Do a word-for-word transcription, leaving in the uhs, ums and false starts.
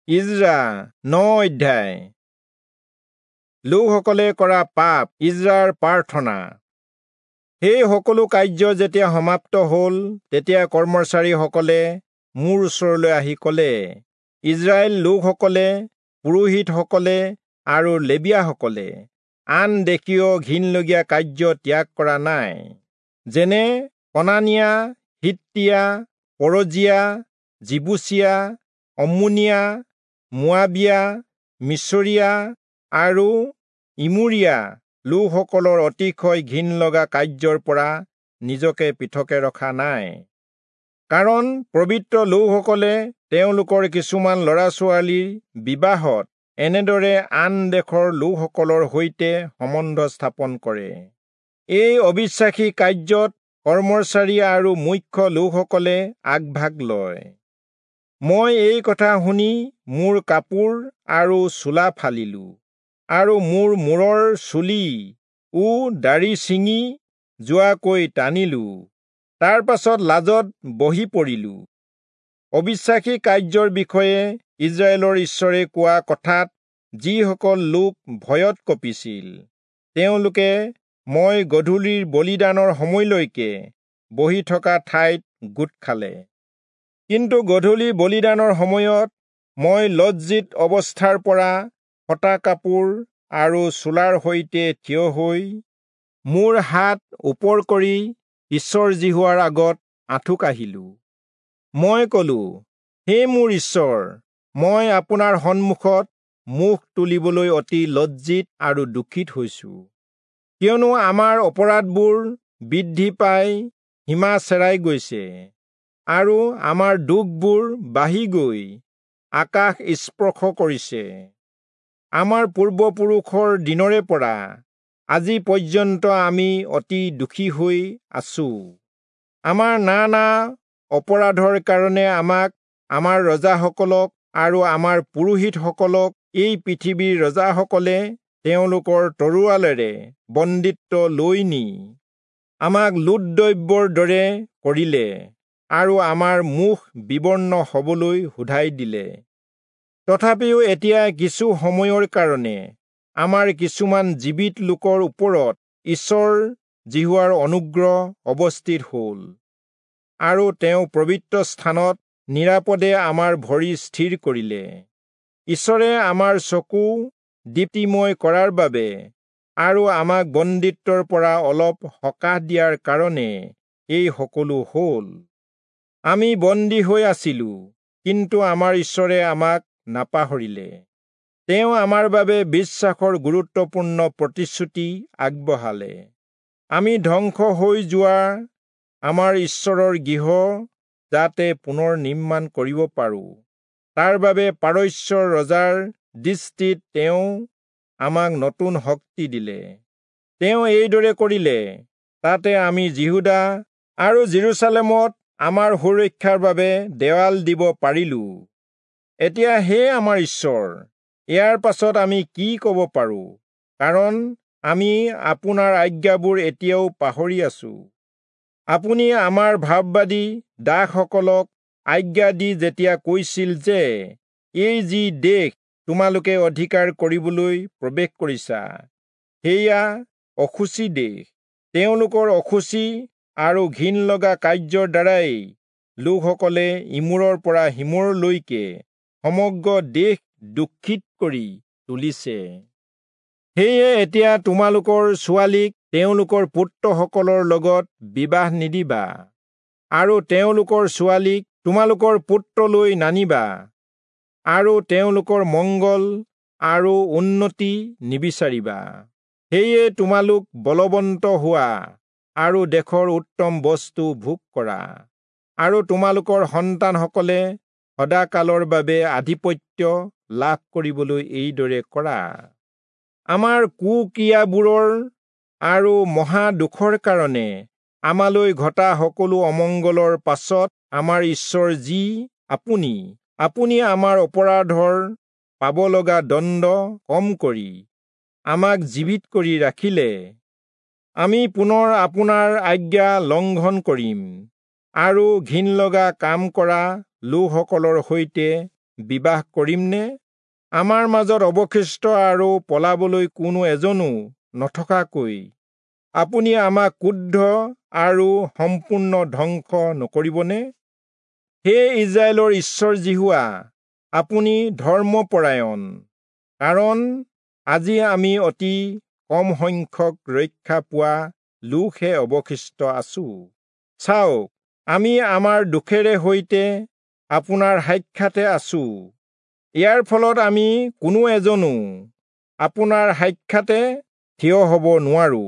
Ezra ন অধ্যায়। লোকসকলে কৰা পাপ। ইজ্ৰাৰ প্ৰাৰ্থনা। সেই সকলো কাৰ্য যেতিয়া সমাপ্ত হ'ল, তেতিয়া কৰ্মচাৰীসকলে মোৰ ওচৰলৈ আহি ক'লে, ইজৰাইল লোকসকলে, পুৰোহিতসকলে আৰু লেবীয়াসকলে আন দেশীয় ঘিনলগীয়া কাৰ্য ত্যাগ কৰা নাই, যেনে কনানীয়া, হিত্তীয়া, পৰজীয়া, যিবূচীয়া, অম্মোনীয়া, মোৱাবীয়া, মিচৰীয়া আৰু ইমোৰীয়া লোকসকলৰ অতিশয় ঘিনলগা কাৰ্যৰ পৰা নিজকে পৃথকে ৰখা নাই। কাৰণ পবিত্ৰ লোকসকলে তেওঁলোকৰ কিছুমান ল'ৰা ছোৱালীৰ বিবাহত এনেদৰে আন দেশৰ লোকসকলৰ সৈতে সম্বন্ধ স্থাপন কৰে। এই অবিশ্বাসী কাৰ্যত কৰ্মচাৰী আৰু মুখ্য লোকসকলে আগভাগ লয়। মই এই কথা শুনি মোৰ কাপোৰ আৰু চোলা ফালিলো আৰু মোৰ মূৰৰ চুলি ও দাড়ি ছিঙি যোৱাকৈ টানিলো। তাৰ পাছত লাজত বহি পৰিলো। অবিশ্বাসী কাৰ্যৰ বিষয়ে ইজৰাইলৰ ঈশ্বৰে কোৱা কথাত যিসকল লোক ভয়ত কঁপিছিল, তেওঁলোকে মই গধূলিৰ বলিদানৰ সময়লৈকে বহি থকা ঠাইত গোট খালে। কিন্তু গধূলি বলিদানৰ সময়ত মই লজ্জিত অৱস্থাৰ পৰা ফটা কাপোৰ আৰু চোলাৰ সৈতে থিয় হৈ মোৰ হাত ওপৰ কৰি ঈশ্বৰ যিহোৱাৰ আগত আঁঠু কাঢ়িলো। মই কলো, হে মোৰ ঈশ্বৰ, মই আপোনাৰ সন্মুখত মুখ তুলিবলৈ অতি লজ্জিত আৰু দুখিত হৈছো, কিয়নো আমাৰ অপৰাধবোৰ বৃদ্ধি পাই সীমা চেৰাই গৈছে আৰু আমাৰ দুখবোৰ বাঢ়ি গৈ আকাশ স্পৰ্শ কৰিছে। আমাৰ পূৰ্বপুৰুষৰ দিনৰে পৰা আজি পৰ্যন্ত আমি অতি দুখী হৈ আছো। আমাৰ নানা অপৰাধৰ কাৰণে আমাক, আমাৰ ৰজাসকলক আৰু আমাৰ পুৰোহিতসকলক এই পৃথিৱীৰ ৰজাসকলে তেওঁলোকৰ তৰোৱালেৰে বন্দীত্ব লৈ নি আমাক লুটদ্ৰব্যৰ দৰে কৰিলে আৰু আমাৰ মুখ বিবৰ্ণ হবলৈ সোধাই দিলে। তথাপিও এতিয়া কিছু সময়ৰ কাৰণে আমাৰ কিছুমান জীৱিত লোকৰ ওপৰত ঈশ্বৰ যিহোৱাৰ অনুগ্ৰহ অৱস্থিত হ'ল আৰু তেওঁ পবিত্ৰ স্থানত নিৰাপদে আমাৰ ভৰি স্থিৰ কৰিলে। ঈশ্বৰে আমাৰ চকু দীপ্তিময় কৰাৰ বাবে আৰু আমাক বন্দীত্বৰ পৰা অলপ সকাহ দিয়াৰ কাৰণে এই সকলো হ'ল। আমি বন্দী হৈ আছিলো, কিন্তু আমাৰ ঈশ্বৰে আমাক নাপাহৰিলে। তেওঁ আমাৰ বাবে বিশ্বাসৰ গুৰুত্বপূৰ্ণ প্ৰতিশ্ৰুতি আগবঢ়ালে। আমি ধ্বংস হৈ যোৱা আমাৰ ঈশ্বৰৰ গৃহ যাতে পুনৰ নিৰ্মাণ কৰিব পাৰোঁ, তাৰ বাবে পাৰস্যৰ ৰজাৰ দৃষ্টিত তেওঁ আমাক নতুন শক্তি দিলে। তেওঁ এইদৰে কৰিলে, তাতে আমি যিহূদা আৰু যিৰূচালেমত আমাৰ সুৰক্ষাৰ বাবে দেৱাল দিব পাৰিলো। এতিয়া হে আমাৰ ঈশ্বৰ, ইয়াৰ পাছত আমি কি ক'ব পাৰোঁ? কাৰণ আমি আপোনাৰ আজ্ঞাবোৰ এতিয়াও পাহৰি আছো। আপুনি আমাৰ ভাববাদী দাসসকলক আজ্ঞা দি যেতিয়া কৈছিল যে, এই যি দেশ তোমালোকে অধিকাৰ কৰিবলৈ প্ৰৱেশ কৰিছা, সেয়া অশুচি দেশ। তেওঁলোকৰ অশুচি আৰু ঘিন লগা কাৰ্যৰ দ্বাৰাই লোকসকলে ইমূৰৰ পৰা সিমূৰলৈকে সমগ্ৰ দেশ দুখিত কৰি তুলিছে। সেয়ে এতিয়া তোমালোকৰ ছোৱালীক তেওঁলোকৰ পুত্ৰসকলৰ লগত বিবাহ নিদিবা আৰু তেওঁলোকৰ ছোৱালীক তোমালোকৰ পুত্ৰলৈ নানিবা আৰু তেওঁলোকৰ মংগল আৰু উন্নতি নিবিচাৰিবা। সেয়ে তোমালোক বলৱন্ত হোৱা আৰু দেশৰ উত্তম বস্তু ভোগ কৰা আৰু তোমালোকৰ সন্তানসকলে সদাকালৰ বাবে আধিপত্য লাভ কৰিবলৈ এইদৰে কৰা। আমাৰ কুক্ৰিয়াবোৰৰ আৰু মহা দুখৰ কাৰণে আমালৈ ঘটা সকলো অমংগলৰ পাছত আমাৰ ঈশ্বৰ যি আপুনি, আপুনি আমাৰ অপৰাধৰ পাব লগা দণ্ড কম কৰি আমাক জীৱিত কৰি ৰাখিলে। আমি পুনৰ আপোনাৰ আজ্ঞা লংঘন কৰিম আৰু ঘিনলগা কাম কৰা লোকসকলৰ সৈতে বিবাহ কৰিমনে? আমাৰ মাজত অৱশিষ্ট আৰু পলাবলৈ কোনো এজনো নথকাকৈ আপুনি আমাক ক্ৰুদ্ধ আৰু সম্পূৰ্ণ ধ্বংস নকৰিবনে? হে ইস্ৰায়েলৰ ঈশ্বৰ যিহোৱা, আপুনি ধৰ্মপৰায়ণ, কাৰণ আজি আমি অতি কম সংখ্যক ৰক্ষা পোৱা লোকহে অৱশিষ্ট আছো। চাওক, আমি আমাৰ দুখেৰে সৈতে আপোনাৰ সাক্ষাতে আছো। ইয়াৰ ফলত আমি কোনো এজনো আপোনাৰ সাক্ষাতে থিয় হ'ব নোৱাৰো।